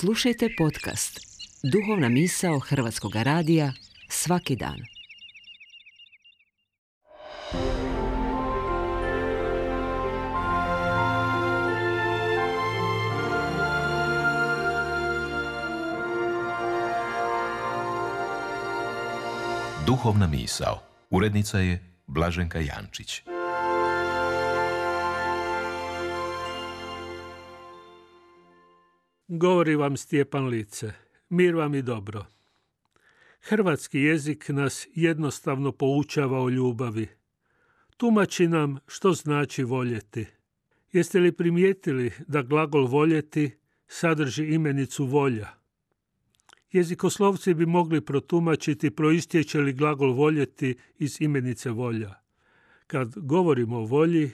Slušajte podcast Duhovna misao Hrvatskog radija svaki dan. Duhovna misao. Urednica je Blaženka Jančić. Govori vam Stjepan Lice. Mir vam i dobro. Hrvatski jezik nas jednostavno poučava o ljubavi. Tumači nam što znači voljeti. Jeste li primijetili da glagol voljeti sadrži imenicu volja? Jezikoslovci bi mogli protumačiti proistječe li glagol voljeti iz imenice volja. Kad govorimo o volji,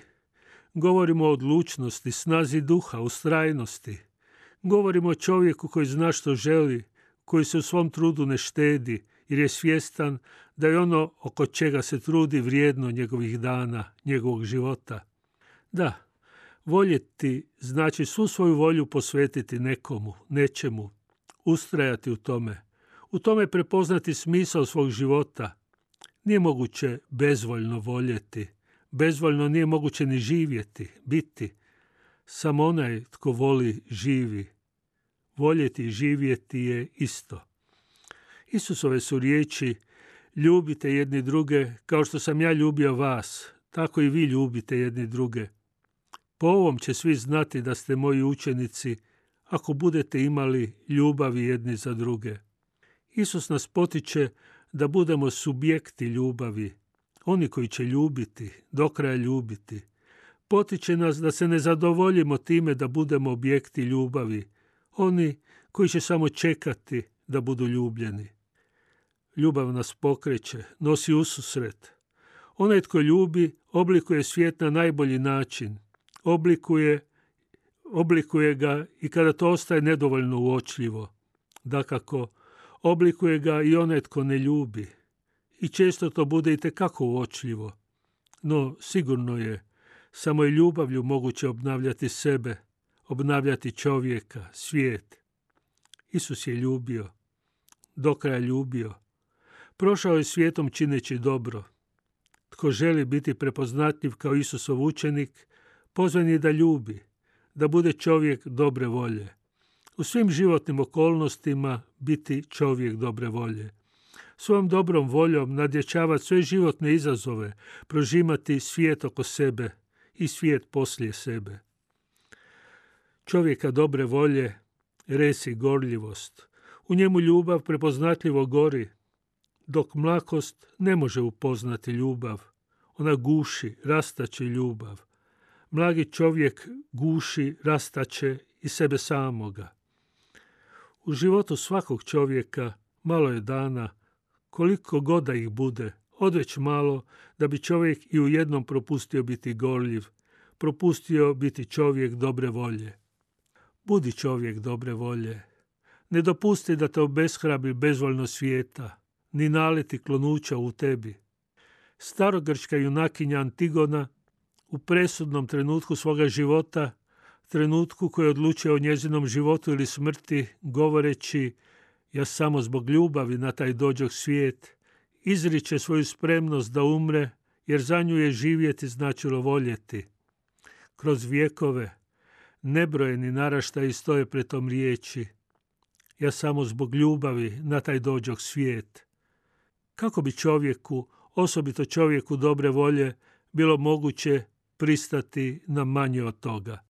govorimo o odlučnosti, snazi duha, ustrajnosti. Govorimo o čovjeku koji zna što želi, koji se u svom trudu ne štedi, jer je svjestan da je ono oko čega se trudi vrijedno njegovih dana, njegovog života. Da, voljeti znači svu svoju volju posvetiti nekomu, nečemu, ustrajati u tome prepoznati smisao svog života. Nije moguće bezvoljno voljeti, bezvoljno nije moguće ni živjeti, biti. Samo onaj tko voli živi. Voljeti i živjeti je isto. Isusove su riječi: ljubite jedni druge kao što sam ja ljubio vas, tako i vi ljubite jedni druge. Po ovom će svi znati da ste moji učenici, ako budete imali ljubavi jedni za druge. Isus nas potiče da budemo subjekti ljubavi, oni koji će ljubiti, do kraja ljubiti. Potiče nas da se ne zadovoljimo time da budemo objekti ljubavi, oni koji će samo čekati da budu ljubljeni. Ljubav nas pokreće, nosi ususret. Onaj tko ljubi oblikuje svijet na najbolji način. Oblikuje ga i kada to ostaje nedovoljno uočljivo. Dakako, oblikuje ga i onaj tko ne ljubi. I često to bude itekako uočljivo. No, sigurno je, samo je ljubavlju moguće obnavljati sebe, obnavljati čovjeka, svijet. Isus je ljubio, do kraja ljubio. Prošao je svijetom čineći dobro. Tko želi biti prepoznatljiv kao Isusov učenik, pozvan je da ljubi, da bude čovjek dobre volje. U svim životnim okolnostima biti čovjek dobre volje. Svojom dobrom voljom nadjačavati sve životne izazove, prožimati svijet oko sebe i svijet poslije sebe. Čovjeka dobre volje resi gorljivost. U njemu ljubav prepoznatljivo gori, dok mlakost ne može upoznati ljubav. Ona guši, rastače ljubav. Mlagi čovjek guši, rastače i sebe samoga. U životu svakog čovjeka malo je dana, koliko god da ih bude, odveć malo da bi čovjek i u jednom propustio biti gorljiv, propustio biti čovjek dobre volje. Budi čovjek dobre volje. Ne dopusti da te obeshrabri bezvoljno svijeta, ni naleti klonuća u tebi. Starogrčka junakinja Antigona u presudnom trenutku svoga života, trenutku koji odlučuje o njezinom životu ili smrti, govoreći: ja samo zbog ljubavi na taj dođoh svijet, izriče svoju spremnost da umre, jer za nju je živjeti značilo voljeti. Kroz vjekove nebrojeni naraštaji stoje pred tom riječi: ja samo zbog ljubavi na taj dođoh svijet. Kako bi čovjeku, osobito čovjeku dobre volje, bilo moguće pristati na manje od toga?